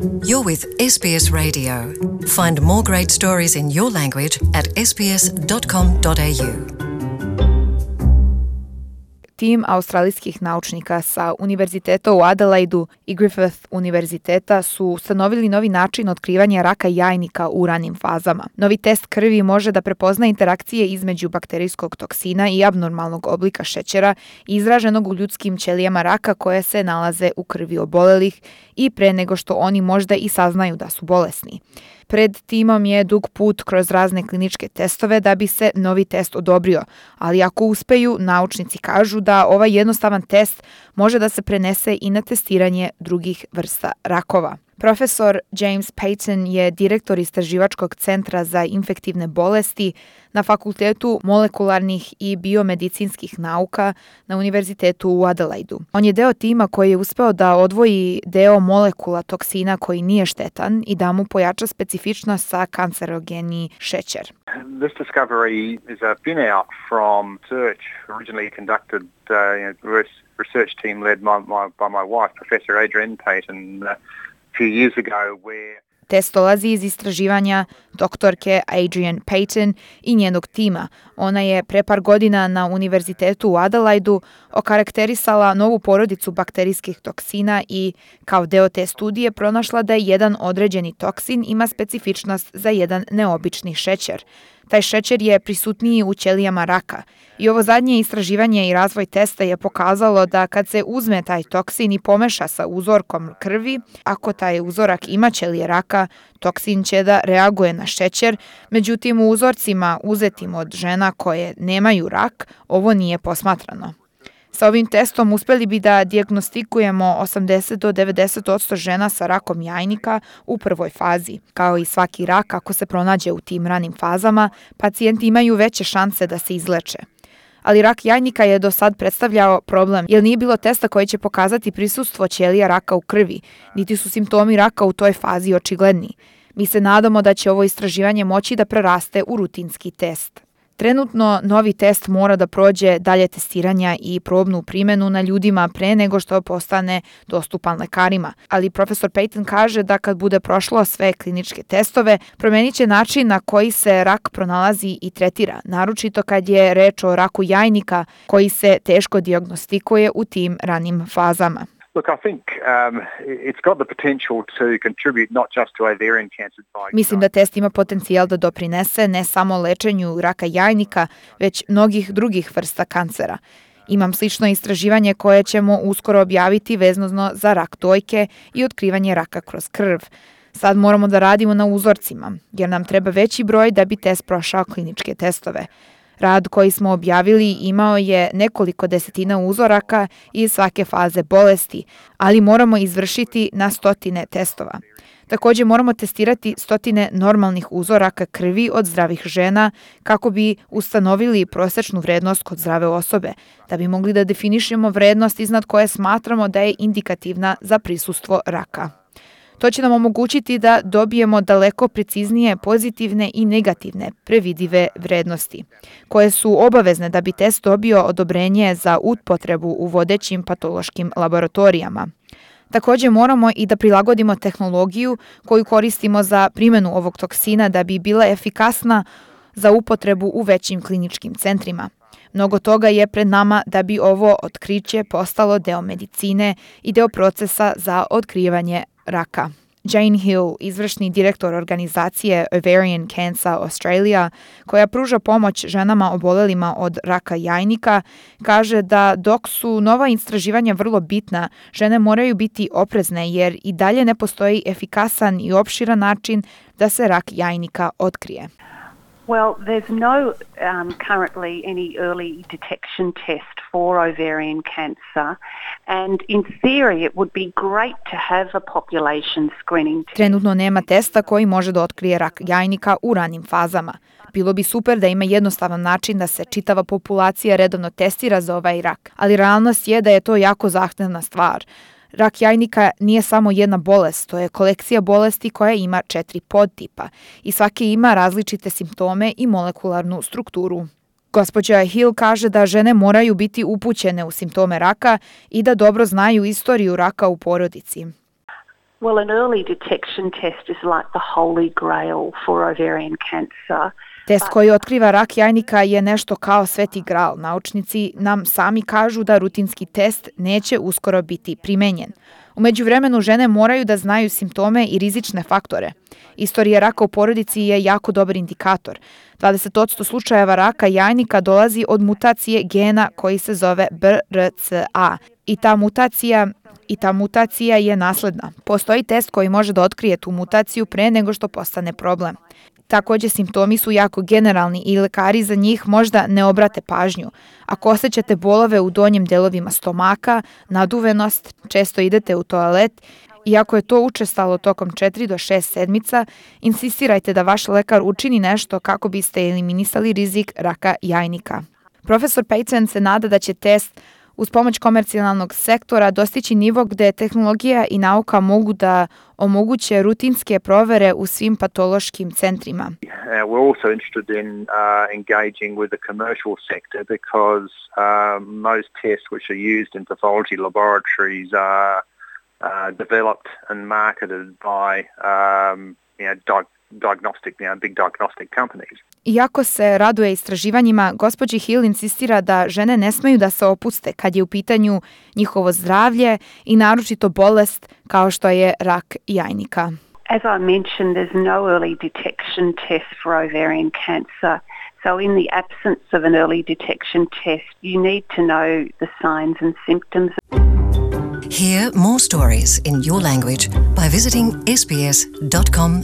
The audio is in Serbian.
You're with SBS Radio. Find more great stories in your language at sbs.com.au. Tim australijskih naučnika sa Univerziteta u Adelaidu i Griffith univerziteta su ustanovili novi način otkrivanja raka jajnika u ranim fazama. Novi test krvi može da prepozna interakcije između bakterijskog toksina i abnormalnog oblika šećera izraženog u ljudskim ćelijama raka koje se nalaze u krvi obolelih i pre nego što oni možda i saznaju da su bolesni. Pred timom je dug put kroz razne kliničke testove da bi se novi test odobrio, ali ako uspeju, naučnici kažu da ovaj jednostavan test može da se prenese i na testiranje drugih vrsta rakova. Profesor James Payton je direktor istraživačkog centra za infektivne bolesti na Fakultetu molekularnih i biomedicinskih nauka na Univerzitetu u Adelaidu. On je deo tima koji je uspeo da odvoji deo molekula toksina koji nije štetan i da mu pojača specifičnost sa kancerogeni šećer. This discovery is a spin-out from research originally conducted research team led by my wife, Professor Adrienne Payton, few years ago where Test dolazi iz istraživanja doktorke Adrienne Payton i njenog tima. Ona je pre par godina na Univerzitetu u Adelaidu okarakterisala novu porodicu bakterijskih toksina i kao deo te studije pronašla da jedan određeni toksin ima specifičnost za jedan neobični šećer. Taj šećer je prisutniji u ćelijama raka. I ovo zadnje istraživanje i razvoj testa je pokazalo da kad se uzme taj toksin i pomeša sa uzorkom krvi, ako taj uzorak ima ćelije raka, toksin će da reaguje na šećer, međutim u uzorcima uzetim od žena koje nemaju rak, ovo nije posmatrano. Sa ovim testom uspeli bi da dijagnostikujemo 80 do 90% žena sa rakom jajnika u prvoj fazi. Kao i svaki rak, ako se pronađe u tim ranim fazama, pacijenti imaju veće šanse da se izleče. Ali rak jajnika je do sad predstavljao problem, jer nije bilo testa koji će pokazati prisustvo ćelija raka u krvi, niti su simptomi raka u toj fazi očigledni. Mi se nadamo da će ovo istraživanje moći da preraste u rutinski test. Trenutno novi test mora da prođe dalje testiranja i probnu primjenu na ljudima pre nego što postane dostupan lekarima. Ali profesor Payton kaže da kad bude prošlo sve kliničke testove, promenit će način na koji se rak pronalazi i tretira, naročito kad je reč o raku jajnika koji se teško dijagnostikuje u tim ranim fazama. Look, I think it's got the potential to contribute not just to ovarian cancer. Mislim da test ima potencijal da doprinese ne samo lečenju raka jajnika, već mnogih drugih vrsta kancera. Imam slično istraživanje koje ćemo uskoro objaviti vezano za rak dojke i otkrivanje raka kroz krv. Sad moramo da radimo na uzorcima, jer nam treba veći broj da bi test prošao kliničke testove. Rad koji smo objavili imao je nekoliko desetina uzoraka iz svake faze bolesti, ali moramo izvršiti na stotine testova. Također moramo testirati stotine normalnih uzoraka krvi od zdravih žena kako bi ustanovili prosečnu vrednost kod zdrave osobe, da bi mogli da definišemo vrednost iznad koje smatramo da je indikativna za prisustvo raka. To će nam omogućiti da dobijemo daleko preciznije pozitivne i negativne previdive vrednosti, koje su obavezne da bi test dobio odobrenje za upotrebu u vodećim patološkim laboratorijama. Također moramo i da prilagodimo tehnologiju koju koristimo za primjenu ovog toksina da bi bila efikasna za upotrebu u većim kliničkim centrima. Mnogo toga je pred nama da bi ovo otkriće postalo deo medicine i deo procesa za otkrivanje raka. Jane Hill, izvršni direktor organizacije Ovarian Cancer Australia, koja pruža pomoć ženama obolelima od raka jajnika, kaže da dok su nova istraživanja vrlo bitna, žene moraju biti oprezne jer i dalje ne postoji efikasan i opširan način da se rak jajnika otkrije. Well, there's no currently any early detection test for ovarian cancer, and in theory it would be great to have a population screening test. Trenutno nema testa koji može da otkrije rak jajnika u ranim fazama. Bilo bi super da ima jednostavan način da se čitava populacija redovno testira za ovaj rak, ali realnost je da je to jako zahtevna stvar. Rak jajnika nije samo jedna bolest, to je kolekcija bolesti koja ima 4 podtipa i svaki ima različite simptome i molekularnu strukturu. Gospođa Hill kaže da žene moraju biti upućene u simptome raka i da dobro znaju istoriju raka u porodici. Well, an early detection test is like the holy grail for ovarian cancer. Test koji otkriva rak jajnika je nešto kao sveti gral. Naučnici nam sami kažu da rutinski test neće uskoro biti primenjen. U međuvremenu žene moraju da znaju simptome i rizične faktore. Istorija raka u porodici je jako dobar indikator. 20% slučajeva raka jajnika dolazi od mutacije gena koji se zove BRCA. I ta mutacija je nasledna. Postoji test koji može da otkrije tu mutaciju pre nego što postane problem. Također, simptomi su jako generalni i lekari za njih možda ne obrate pažnju. Ako osjećate bolove u donjim delovima stomaka, naduvenost, često idete u toalet, i ako je to učestalo tokom 4 do 6 sedmica, insistirajte da vaš lekar učini nešto kako biste eliminisali rizik raka jajnika. Profesor Payton se nada da će test uz pomoć komercijalnog sektora dostići nivo gde tehnologija i nauka mogu da omoguće rutinske provere u svim patološkim centrima. We're also interested in engaging with the commercial sector because most tests which are used in pathology laboratories are developed and marketed by big diagnostic companies. Iako se raduje istraživanjima, gospođi Hill insistira da žene ne smeju da se opuste kad je u pitanju njihovo zdravlje i naročito bolest kao što je rak jajnika. As I mentioned, there's no early detection test for ovarian cancer. So in the absence of an early detection test, you need to know the signs and symptoms. Hear more stories in your language by visiting sbs.com.au.